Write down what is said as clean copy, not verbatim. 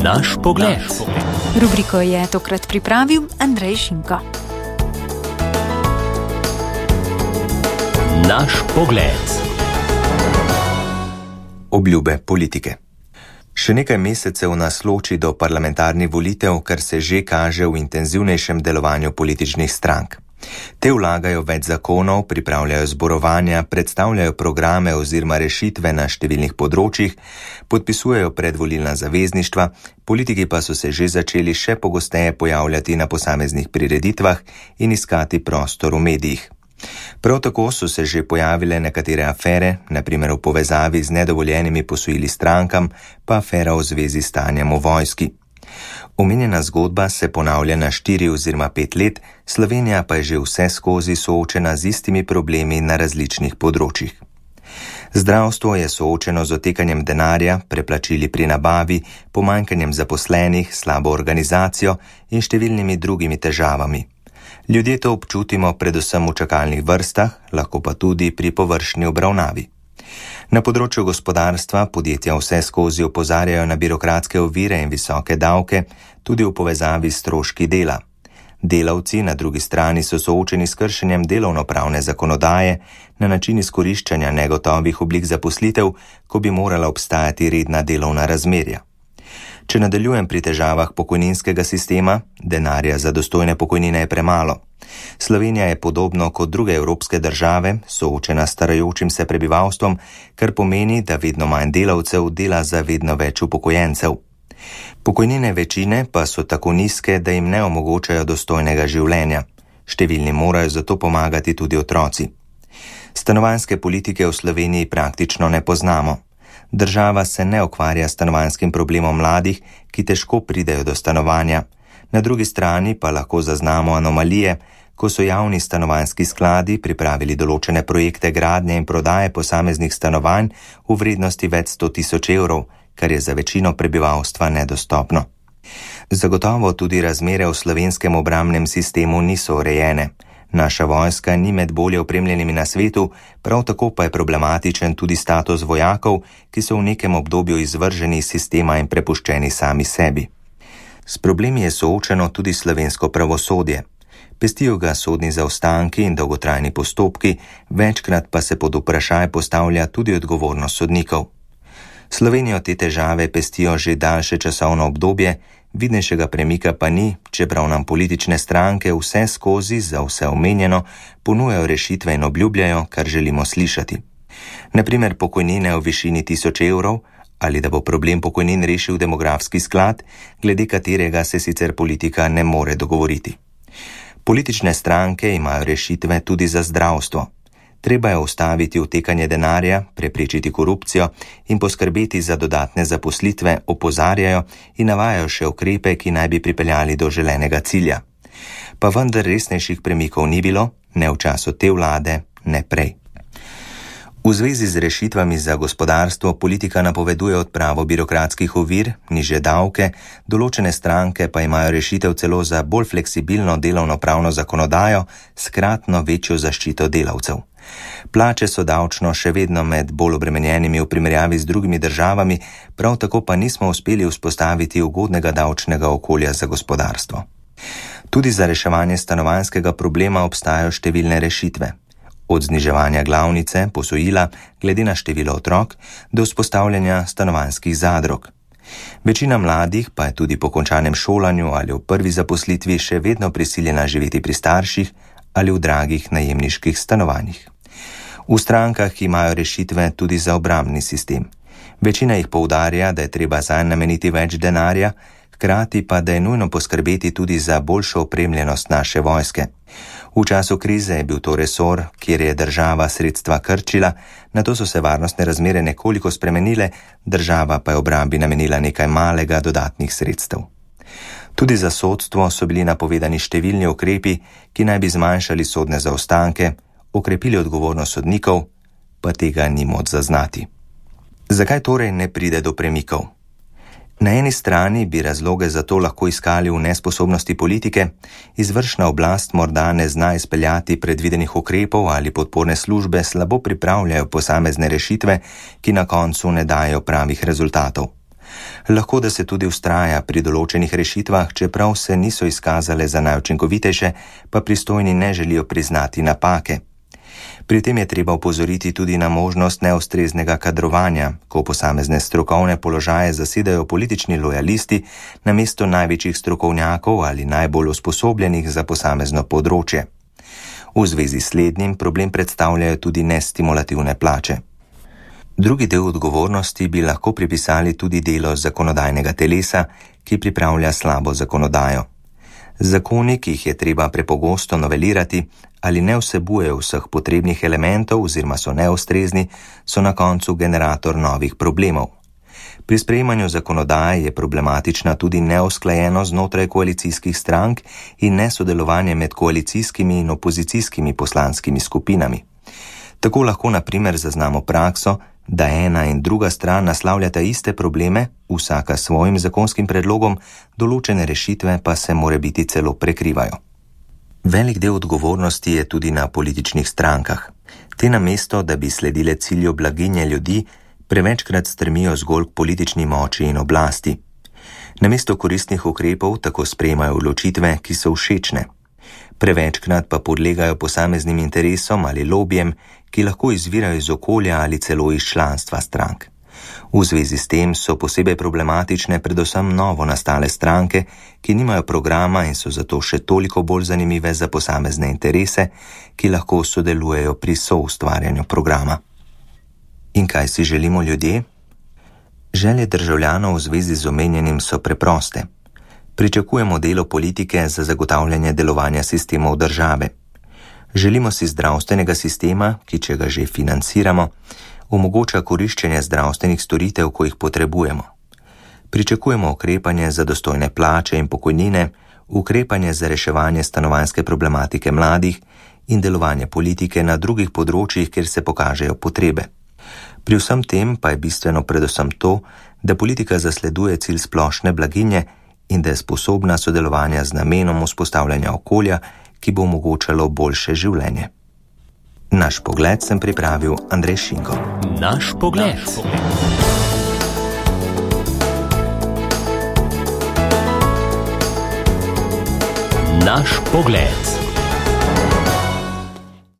Naš pogled. Rubriko je tokrat pripravil Andrej Šinko. Naš pogled. Obljube politike. Še nekaj mesecev nas loči do parlamentarnih volitev, kar se že kaže v intenzivnejšem delovanju političnih strank. Te vlagajo več zakonov, pripravljajo zborovanja, predstavljajo programe oziroma rešitve na številnih področjih, podpisujejo predvolilna zavezništva, politiki pa so se že začeli še pogosteje pojavljati na posameznih prireditvah in iskati prostor v medijih. Prav tako so se že pojavile nekatere afere, na primer v povezavi z nedovoljenimi posojili strankam, pa afera v zvezi s stanjem v vojski. Omenjena zgodba se ponavlja na 4 oziroma 5 let, Slovenija pa je že vse skozi soočena z istimi problemi na različnih področjih. Zdravstvo je soočeno z otekanjem denarja, preplačili pri nabavi, pomanjkanjem zaposlenih, slabo organizacijo in številnimi drugimi težavami. Ljudje to občutimo predvsem v čakalnih vrstah, lahko pa tudi pri površni obravnavi. Na področju gospodarstva podjetja vse skozi opozarjajo na birokratske ovire in visoke davke, tudi v povezavi s stroški dela. Delavci na drugi strani so soočeni s kršenjem delovnopravne zakonodaje na način izkoriščanja negotovih oblik zaposlitev, ko bi morala obstajati redna delovna razmerja. Če nadaljujem pri težavah pokojninskega sistema, denarja za dostojne pokojnine je premalo. Slovenija je podobno kot druge evropske države soočena s starajočim se prebivalstvom, kar pomeni, da vedno manj delavcev dela za vedno več upokojencev. Pokojnine večine pa so tako nizke, da jim ne omogočajo dostojnega življenja. Številni morajo zato pomagati tudi otroci. Stanovanjske politike v Sloveniji praktično ne poznamo. Država se ne ukvarja s stanovanjskim problemom mladih, ki težko pridejo do stanovanja. Na drugi strani pa lahko zaznamo anomalije, ko so javni stanovanjski skladi pripravili določene projekte gradnje in prodaje posameznih stanovanj v vrednosti več 100 000 evrov, kar je za večino prebivalstva nedostopno. Zagotovo tudi razmere v slovenskem obrambnem sistemu niso urejene. Naša vojska ni med bolje opremljenimi na svetu, prav tako pa je problematičen tudi status vojakov, ki so v nekem obdobju izvrženi iz sistema in prepuščeni sami sebi. S problemi je soočeno tudi slovensko pravosodje. Pestijo ga sodni zaostanki in dolgotrajni postopki, večkrat pa se pod vprašaj postavlja tudi odgovornost sodnikov. Slovenijo te težave pestijo že daljše časovno obdobje, vidnejšega premika pa ni, čeprav nam politične stranke vse skozi za vse omenjeno ponujajo rešitve in obljubljajo, kar želimo slišati. Naprimer pokojnine v višini 1000 evrov, ali da bo problem pokojnin rešil demografski sklad, glede katerega se sicer politika ne more dogovoriti. Politične stranke imajo rešitve tudi za zdravstvo. Treba je ustaviti utekanje denarja, preprečiti korupcijo in poskrbeti za dodatne zaposlitve, opozarjajo in navajajo še ukrepe, ki naj bi pripeljali do želenega cilja. Pa vendar resnejših premikov ni bilo, ne v času te vlade, ne prej. V zvezi z rešitvami za gospodarstvo politika napoveduje odpravo birokratskih ovir, nižje davke, določene stranke pa imajo rešitev celo za bolj fleksibilno delovnopravno zakonodajo s kratno večjo zaščito delavcev. Plače so davčno še vedno med bolj obremenjenimi v primerjavi z drugimi državami, prav tako pa nismo uspeli vzpostaviti ugodnega davčnega okolja za gospodarstvo. Tudi za reševanje stanovanjskega problema obstajajo številne rešitve. Od zniževanja glavnice, posojila, glede na število otrok, do vzpostavljanja stanovanjskih zadrug. Večina mladih pa je tudi po končanem šolanju ali v prvi zaposlitvi še vedno prisiljena živeti pri starših ali v dragih najemniških stanovanjih. V strankah imajo rešitve tudi za obrambni sistem. Večina jih poudarja, da je treba zanj nameniti več denarja, hkrati pa, da je nujno poskrbeti tudi za boljšo opremljenost naše vojske. V času krize je bil to resor, kjer je država sredstva krčila, nato so se varnostne razmere nekoliko spremenile, država pa je obrambi namenila nekaj malega dodatnih sredstev. Tudi za sodstvo so bili napovedani številni ukrepi, ki naj bi zmanjšali sodne zaostanke, okrepili odgovornost sodnikov, pa tega ni moč zaznati. Zakaj torej ne pride do premikov? Na eni strani bi razloge za to lahko iskali v nesposobnosti politike, izvršna oblast morda ne zna izpeljati predvidenih ukrepov ali podporne službe slabo pripravljajo posamezne rešitve, ki na koncu ne dajo pravih rezultatov. Lahko, da se tudi vztraja pri določenih rešitvah, čeprav se niso izkazale za najučinkovitejše, pa pristojni ne želijo priznati napake. Pri tem je treba opozoriti tudi na možnost neustreznega kadrovanja, ko posamezne strokovne položaje zasedajo politični lojalisti namesto največjih strokovnjakov ali najbolj usposobljenih za posamezno področje. V zvezi s slednjim problem predstavljajo tudi nestimulativne plače. Drugi del odgovornosti bi lahko pripisali tudi delo zakonodajnega telesa, ki pripravlja slabo zakonodajo. Zakoni, ki jih je treba prepogosto novelirati ali ne vsebujejo vseh potrebnih elementov oziroma so neustrezni, so na koncu generator novih problemov. Pri sprejemanju zakonodaje je problematična tudi neusklajenost znotraj koalicijskih strank in nesodelovanje med koalicijskimi in opozicijskimi poslanskimi skupinami. Tako lahko na primer zaznamo prakso, da ena in druga stran naslavljata iste probleme, vsaka s svojim zakonskim predlogom, določene rešitve pa se morebiti celo prekrivajo. Velik del odgovornosti je tudi na političnih strankah. Te namesto, da bi sledile cilju blaginje ljudi, prevečkrat stremijo zgolj k politični moči in oblasti. Namesto koristnih ukrepov tako sprejemajo odločitve, ki so všečne. Prevečkrat pa podlegajo posameznim interesom ali lobijem, ki lahko izvirajo iz okolja ali celo iz članstva strank. V zvezi s tem so posebej problematične predvsem novo nastale stranke, ki nimajo programa in so zato še toliko bolj zanimive za posamezne interese, ki lahko sodelujejo pri soustvarjanju programa. In kaj si želimo ljudje? Želje državljanov v zvezi z omenjenim so preproste. Pričakujemo delo politike za zagotavljanje delovanja sistemov države. Želimo si zdravstvenega sistema, ki, če ga že financiramo, omogoča koriščenje zdravstvenih storitev, ko jih potrebujemo. Pričakujemo ukrepanje za dostojne plače in pokojnine, ukrepanje za reševanje stanovanjske problematike mladih in delovanje politike na drugih področjih, kjer se pokažejo potrebe. Pri vsem tem pa je bistveno predvsem to, da politika zasleduje cilj splošne blaginje in da je sposobna sodelovanja z namenom vzpostavljanja okolja, ki bo omogočalo boljše življenje. Naš pogled sem pripravil Andrej Šinko. Naš pogled. Naš pogled.